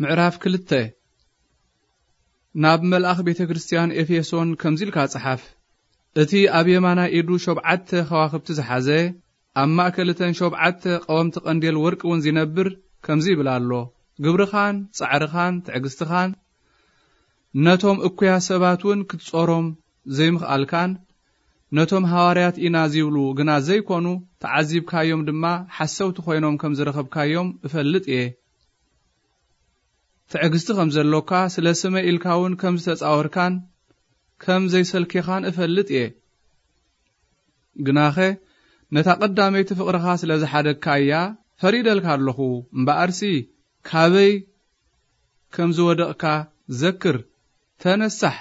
ምዕራፍ ክልተ። ናብ መልኣኽ ቤተ ክርስቲያን ኤፌሶን ከምዚ ኢልካ ጸሓፍ። እቲ ኣብ የማናይ ኢዱ ሸውዓተ ከዋኽብቲ ዝሓዘ፣ ኣብ ማእከል እተን ሸውዓተ ቀወምቲ ቀንዴል ወርቂ እውን ዚነብር ከምዚ ይብል ኣሎ፣ ግብርኻን ጻዕርኻን ትዕግስትኻን ነቶም እኩያ ሰባት እውን ክትጾሮም ዘይምኽኣልካን፣ ነቶም ሃዋርያት ኢና ዚብሉ ግና ዘይኮኑ፣ ተዓዚብካዮም ድማ ሓሰውቲ ኮይኖም ከም ዝረኸብካዮም እፈልጥ እየ። ትዕግስቲ ከም ዘሎካ፣ ስለ ስመይ ኢልካ እውን ከም ዝተጻወርካን ከም ዘይሰልኬኻን እፈልጥ እየ። ግናኸ ነታ ቀዳመይቲ ፍቕርኻ ስለ ዝሓደግካያ ፈሪደልካ ኣለኹ። እምበኣርሲ ካበይ ከም ዝወደቕካ ዘክር፣ ተነሳሕ፣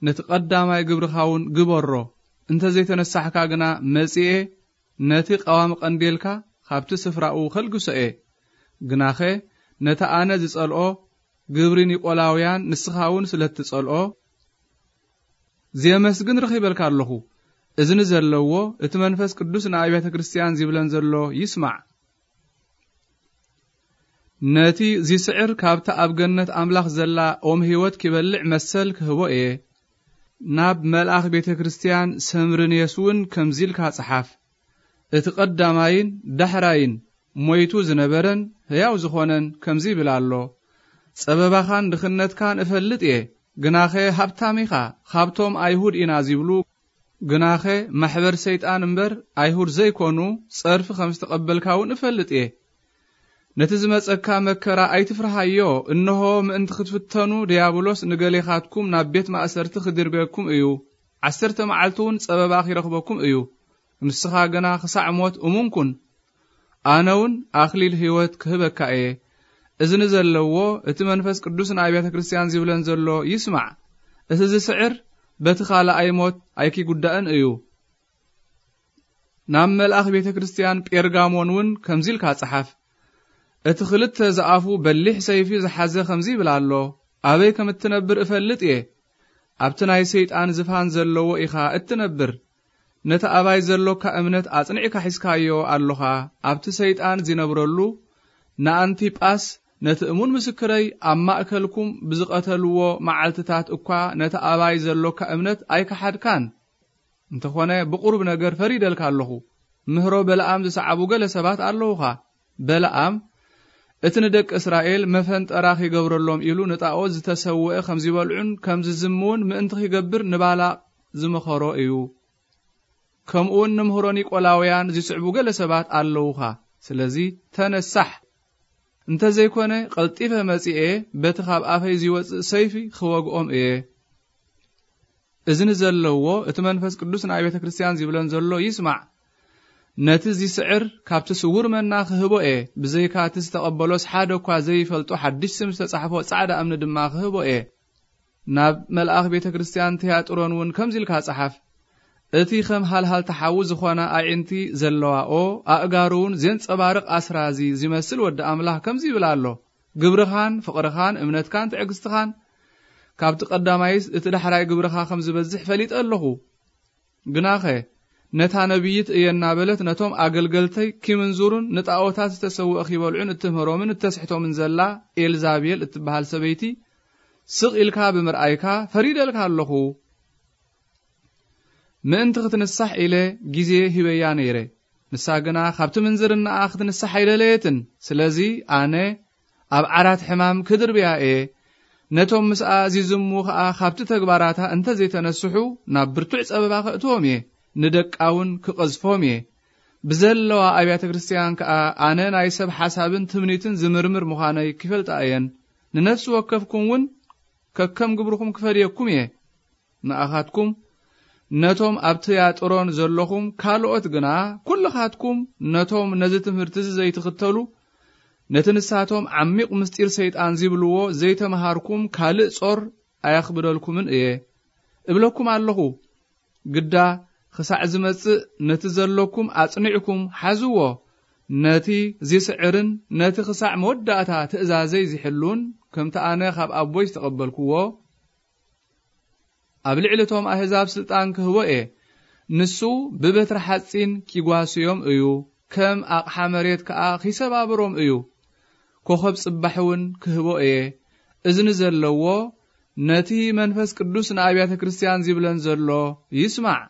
ነቲ ቀዳማይ ግብርኻ እውን ግበሮ። እንተ ዘይተነሳሕካ ግና መጺኤ ነቲ ቀዋሚ ቀንዴልካ ካብቲ ስፍራኡ ከልግሶ እየ። ግናኸ ነቲ ኣነ ዝጸልኦ ግብሪ ኒቆላውያን ንስኻ እውን ስለ እትጸልኦ፣ ዜመስግን ረኺበልካ ኣለኹ። እዝኒ ዘለዎ እቲ መንፈስ ቅዱስ ንኣብያተ ክርስቲያን ዚብለን ዘሎ ይስማዕ። ነቲ ዚስዕር ካብታ ኣብ ገነት ኣምላኽ ዘላ ኦም ህይወት ኪበልዕ መሰል ክህቦ እየ። ናብ መልኣኽ ቤተ ክርስቲያን ሰምርንየስ እውን ከምዚ ኢልካ ጸሓፍ። እቲ ቀዳማይን ዳሕራይን ሞይቱ ዝነበረን ህያው ዝኾነን ከምዚ ይብል ኣሎ፣ ጸበባኻን ድኽነትካን እፈልጥ እየ። ግናኸ ሃብታም ኢኻ፣ ካብቶም ኣይሁድ ኢና ዚብሉ፣ ግናኸ ማሕበር ሰይጣን እምበር ኣይሁድ ዘይኮኑ ጸርፊ ከም ዝተቐበልካ እውን እፈልጥ እየ። ነቲ ዝመጸካ መከራ ኣይትፍርሃዮ። እንሆ፣ ምእንቲ ክትፍተኑ፣ ድያብሎስ ንገሌኻትኩም ናብ ቤት ማእሰርቲ ክድርብየኩም እዩ። ዓሰርተ መዓልቲ እውን ጸበባ ኺረኽበኩም እዩ። ንስኻ ግና ክሳዕ ሞት እሙን ኩን። ኣነ እውን ኣኽሊል ህይወት ክህበካ እየ። እዝኒ ዘለዎ፣ እቲ መንፈስ ቅዱስ ንኣብያተ ክርስቲያን ዚብለን ዘሎ ይስማዕ። እቲ ዝስዕር በቲ ካልኣይ ሞት ኣይኪጉዳእን እዩ። ናብ መልኣኽ ቤተ ክርስቲያን ጴርጋሞን እውን ከምዚ ኢልካ ጸሓፍ። እቲ ክልተ ዝኣፉ በሊሕ ሰይፊ ዝሓዘ ከምዚ ይብል ኣሎ፣ ኣበይ ከም እትነብር እፈልጥ እየ። ኣብቲ ናይ ሰይጣን ዝፋን ዘለዎ ኢኻ እትነብር። ነቲ ኣባይ ዘሎካ እምነት ኣጽኒዕካ ሒዝካዮ ኣሎኻ። ኣብቲ ሰይጣን ዚነብረሉ ንኣንቲጳስ ነቲ እሙን ምስክረይ ኣብ ማእከልኩም ብዝቐተልዎ መዓልትታት እኳ ነቲ ኣባይ ዘሎካ እምነት ኣይከሓድካን። እንተኾነ ብቑሩብ ነገር ፈሪደልካ ኣለኹ። ምህሮ በለዓም ዝሰዓቡ ገለ ሰባት ኣለዉኻ። በለዓም እቲ ንደቂ እስራኤል መፈንጠራ ኺገብረሎም ኢሉ ንጣኦት ዝተሰውአ ከም ዚበልዑን ከም ዝዝምውን ምእንቲ ኺገብር ንባላቅ ዝመኸሮ እዩ። ከምኡውን ንምህሮ ኒቆላውያን ዚስዕቡ ገለ ሰባት ኣለዉኻ። ስለዚ ተነሳሕ፣ እንተ ዘይኮነ ቀልጢፈ መጺኤ በቲ ካብ ኣፈይ ዚወጽእ ሰይፊ ኽወግኦም እየ። እዝኒ ዘለዎ እቲ መንፈስ ቅዱስ ንኣብ ቤተ ክርስቲያን ዚብለን ዘሎ ይስማዕ። ነቲ ዚስዕር ካብቲ ስውር መና ክህቦ እየ፣ ብዘይካ እቲ ዝተቐበሎስ ሓደ እኳ ዘይፈልጦ ሓድሽ ስም ዝተጻሕፎ ጻዕዳ እምኒ ድማ ክህቦ እየ። ናብ መልኣኽ ቤተ ክርስቲያን ትያጥሮን እውን ከምዚ ኢልካ ጸሓፍ። እቲ ከም ሃልሃልቲ ሓዊ ዝኾና ኣዒንቲ ዘለዋኦ፣ ኣእጋሩ እውን ዜንጸባርቕ ኣስራዚ ዚመስል ወዲ ኣምላኽ ከምዚ ይብል ኣሎ፣ ግብርኻን ፍቕርኻን እምነትካን ትዕግስትኻን፣ ካብቲ ቀዳማይስ እቲ ዳሕራይ ግብርኻ ከም ዝበዝሕ ፈሊጠ ኣለኹ። ግናኸ ነታ ነቢይት እየ እናበለት ነቶም ኣገልገልተይ ኪምንዝሩን ንጣኦታት ዝተሰውአ ኺበልዑን እትምህሮምን እተስሕቶምን ዘላ ኤልዛቤል እትበሃል ሰበይቲ ስቕ ኢልካ ብምርኣይካ ፈሪደልካ ኣለኹ። ምእንቲ ክትንሳሕ ኢለ ግዜ ሂበያ ነይረ። ንሳ ግና ካብቲ ምንዝርናኣ ክትንሳሕ ኣይደለየትን። ስለዚ ኣነ ኣብ ዓራት ሕማም ክድርብያ እየ። ነቶም ምስኣ ዚዝሙ ኸኣ ካብቲ ተግባራታ እንተ ዘይተነስሑ ናብ ብርቱዕ ጸበባ ከእትዎም እየ። ንደቃ እውን ክቐዝፎም እየ። ብዘለዋ ኣብያተ ክርስቲያን ከኣ ኣነ ናይ ሰብ ሓሳብን ትምኒትን ዝምርምር ምዃነይ ኪፈልጣ እየን። ንነፍሲ ወከፍኩም እውን ከከም ግብርኹም ክፈድየኩም እየ። ንኣኻትኩም ነቶም ኣብ ትያጥሮን ዘለኹም ካልኦት ግና ኩልኻትኩም ነቶም ነዚ ትምህርቲ እዚ ዘይትኽተሉ፣ ነቲ ንሳቶም ዓሚቕ ምስጢር ሰይጣን ዚብልዎ ዘይተምሃርኩም ካልእ ጾር ኣየኽብደልኩምን እየ። እብለኩም ኣለኹ፣ ግዳ ክሳዕ ዝመጽእ ነቲ ዘለኩም ኣጽኒዕኩም ሓዝዎ። ነቲ ዚስዕርን ነቲ ክሳዕ መወዳእታ ትእዛዘይ ዚሕሉን፣ ከምቲ ኣነ ኻብ ኣቦይ ዝተቐበልክዎ፣ ኣብ ልዕሊ እቶም ኣህዛብ ስልጣን ክህቦ እየ። ንሱ ብበትሪ ሓጺን ኪጓስዮም እዩ፣ ከም ኣቕሓ መሬት ከኣ ኺሰባብሮም እዩ። ኮኸብ ጽባሕ እውን ክህቦ እየ። እዝኒ ዘለዎ ነቲ መንፈስ ቅዱስ ንኣብያተ ክርስቲያን ዚብለን ዘሎ ይስማዕ።